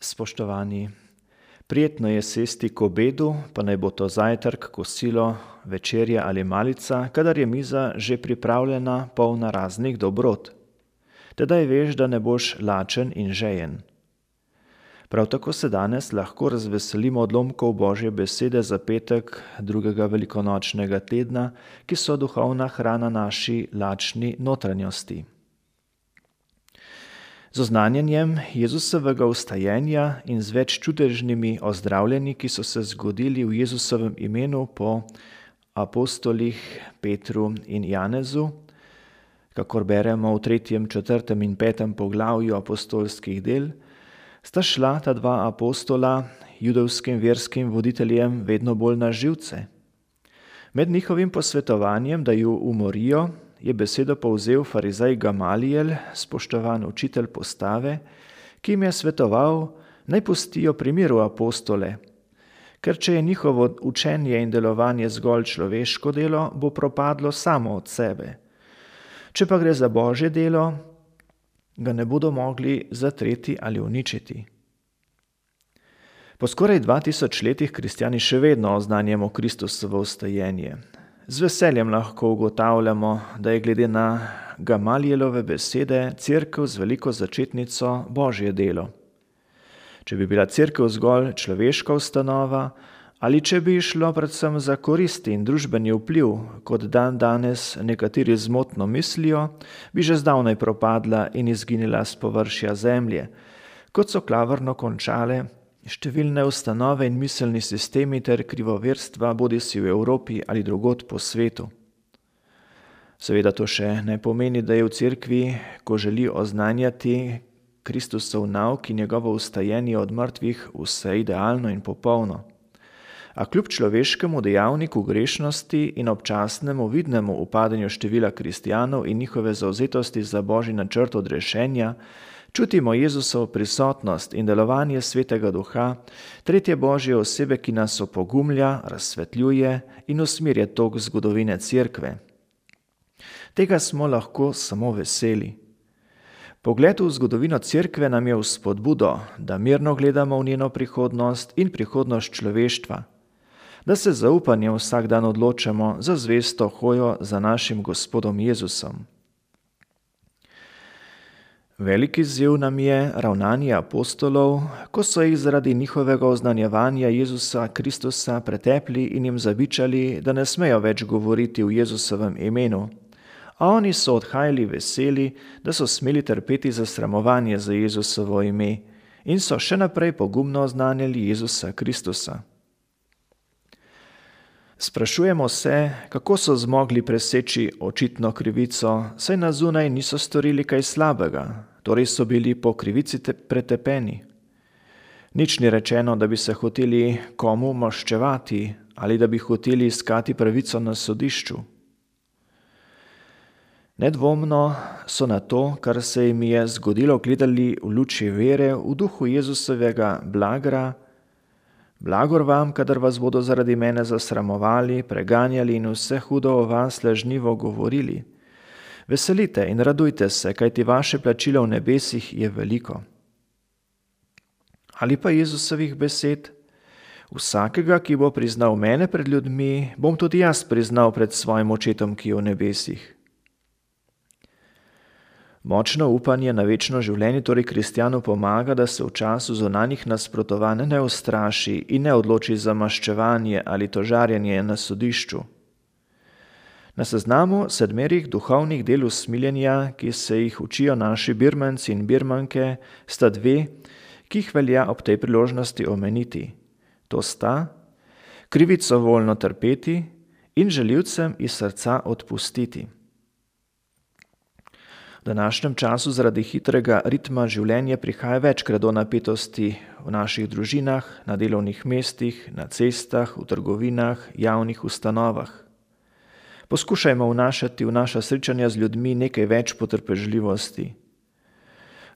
Spoštovani, prijetno je sesti k obedu, pa naj bo to zajtrk, kosilo, večerja ali malica, kadar je miza že pripravljena, polna raznih dobrot. Tedaj veš, da ne boš lačen in žejen. Prav tako se danes lahko razveselimo odlomkov Božje besede za petek drugega velikonočnega tedna, ki so duhovna hrana naši lačni notranjosti. Z oznanjanjem Jezusovega vstajenja in z več čudežnimi ozdravljenji, ki so se zgodili v Jezusovem imenu po apostolih Petru in Janezu, kakor beremo v 3., 4. in 5. poglavju apostolskih del, sta šla ta dva apostola judovskim verskim voditeljem vedno bolj na živce. Med njihovim posvetovanjem, da ju umorijo, je besedo povzel farizej Gamalijel, spoštovan učitelj postave, ki jim je svetoval, naj pustijo pri miru apostole, ker če je njihovo učenje in delovanje zgolj človeško delo, bo propadlo samo od sebe. Če pa gre za Božje delo, ga ne bodo mogli zatreti ali uničiti. Po skoraj 2000 letih kristjani še vedno oznanjamo Kristusovo vstajenje. Z veseljem lahko ugotavljamo, da je glede na Gamalijelove besede cerkev z veliko začetnico Božje delo. Če bi bila cerkev zgolj človeška ustanova ali če bi šlo predvsem za koristi in družbeni vpliv, kot danes nekateri zmotno mislijo, bi že zdavnaj propadla in izginila s površja zemlje, kot so klavrno končale številne ustanove in miselni sistemi ter krivoverstva, bodisi v Evropi ali drugod po svetu. Seveda to še ne pomeni, da je v cerkvi, ko želi oznanjati Kristusov nauk in njegovo vstajenje od mrtvih, vse idealno in popolno. A kljub človeškemu dejavniku grešnosti in občasnemu vidnemu upadanju števila kristjanov in njihove zavzetosti za Božji načrt odrešenja, čutimo Jezusovo prisotnost in delovanje Svetega Duha, tretje Božje osebe, ki nas opogumlja, razsvetljuje in usmerja tok zgodovine cerkve. Tega smo lahko samo veseli. Pogled v zgodovino cerkve nam je vzpodbudo, da mirno gledamo v njeno prihodnost in prihodnost človeštva, da se z zaupanjem vsak dan odločamo za zvesto hojo za našim Gospodom Jezusom. Veliki izziv nam je ravnanje apostolov, ko so jih zaradi njihovega oznanjevanja Jezusa Kristusa pretepli in jim zabičali, da ne smejo več govoriti v Jezusovem imenu, a oni so odhajali veseli, da so smeli trpeti zasramovanje za Jezusovo ime in so še naprej pogumno oznanjali Jezusa Kristusa. Sprašujemo se, kako so zmogli preseči očitno krivico, saj na zunaj niso storili kaj slabega, torej so bili po krivici pretepeni. Nič ni rečeno, da bi se hoteli komu maščevati ali da bi hoteli iskati pravico na sodišču. Nedvomno so na to, kar se jim je zgodilo, gledali v luči vere v duhu Jezusovega blagra. Blagor vam, kadar vas bodo zaradi mene zasramovali, preganjali in vse hudo o vas lažnivo govorili. Veselite in radujte se, kajti vaše plačilo v nebesih je veliko. Ali pa Jezusovih besed: vsakega, ki bo priznal mene pred ljudmi, bom tudi jaz priznal pred svojim očetom, ki je v nebesih. Močno upanje na večno življenje torej kristjanu pomaga, da se v času zunanjih nasprotovanj ne ustraši in ne odloči za maščevanje ali tožarjenje na sodišču. Na seznamu 7 duhovnih del usmiljenja, ki se jih učijo naši birmanci in birmanke, sta 2, ki jih velja ob tej priložnosti omeniti. To sta krivico voljno trpeti in žaljivcem iz srca odpustiti. V današnjem času zaradi hitrega ritma življenja prihaja večkrat do napetosti v naših družinah, na delovnih mestih, na cestah, v trgovinah, javnih ustanovah. Poskušajmo vnašati v naša srečanja z ljudmi nekaj več potrpežljivosti.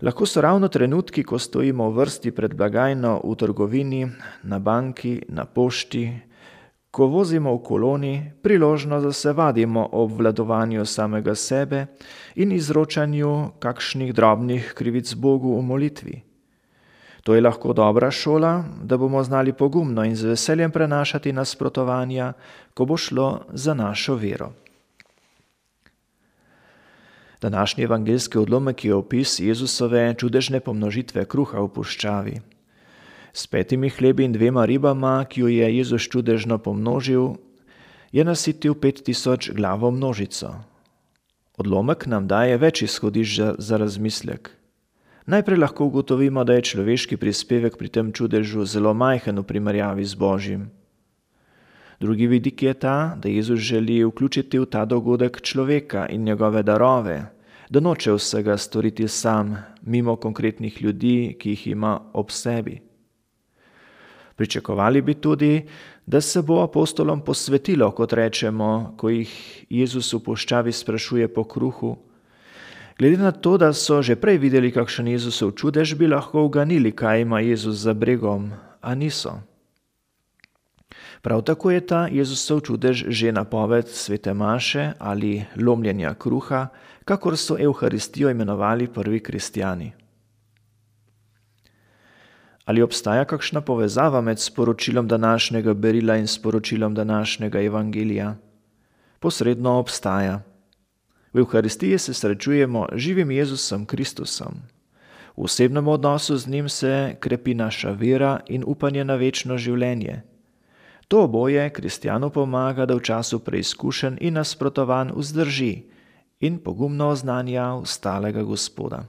Lahko so ravno trenutki, ko stojimo v vrsti pred blagajno v trgovini, na banki, na pošti, ko vozimo v koloni, priložnost, da se vadimo o obvladovanju samega sebe in izročanju kakšnih drobnih krivic Bogu v molitvi. To je lahko dobra šola, da bomo znali pogumno in z veseljem prenašati nasprotovanja, ko bo šlo za našo vero. Današnji evangeljski odlomek je opis Jezusove čudežne pomnožitve kruha v puščavi. S 5 hlebi in 2 ribama, ki jo je Jezus čudežno pomnožil, je nasitil 5000 glavo množico. Odlomek nam daje več izhodišč za razmislek. Najprej lahko ugotovimo, da je človeški prispevek pri tem čudežu zelo majhen v primerjavi z Božjim. Drugi vidik je ta, da Jezus želi vključiti v ta dogodek človeka in njegove darove, da noče vsega storiti sam, mimo konkretnih ljudi, ki jih ima ob sebi. Pričakovali bi tudi, da se bo apostolom posvetilo, kot rečemo, ko jih Jezus v puščavi sprašuje po kruhu. Glede na to, da so že prej videli, kakšen Jezusov čudež, bi lahko uganili, kaj ima Jezus za bregom, a niso. Prav tako je ta Jezusov čudež že napoved svete maše ali lomljenja kruha, kakor so Evharistijo imenovali prvi kristjani. Ali obstaja kakšna povezava med sporočilom današnjega berila in sporočilom današnjega evangelija? Posredno obstaja. V Evharistiji se srečujemo živim Jezusom Kristusom. V osebnem odnosu z njim se krepi naša vera in upanje na večno življenje. To oboje kristjanu pomaga, da v času preizkušenj in nasprotovanj vzdrži in pogumno oznanja ustalega Gospoda.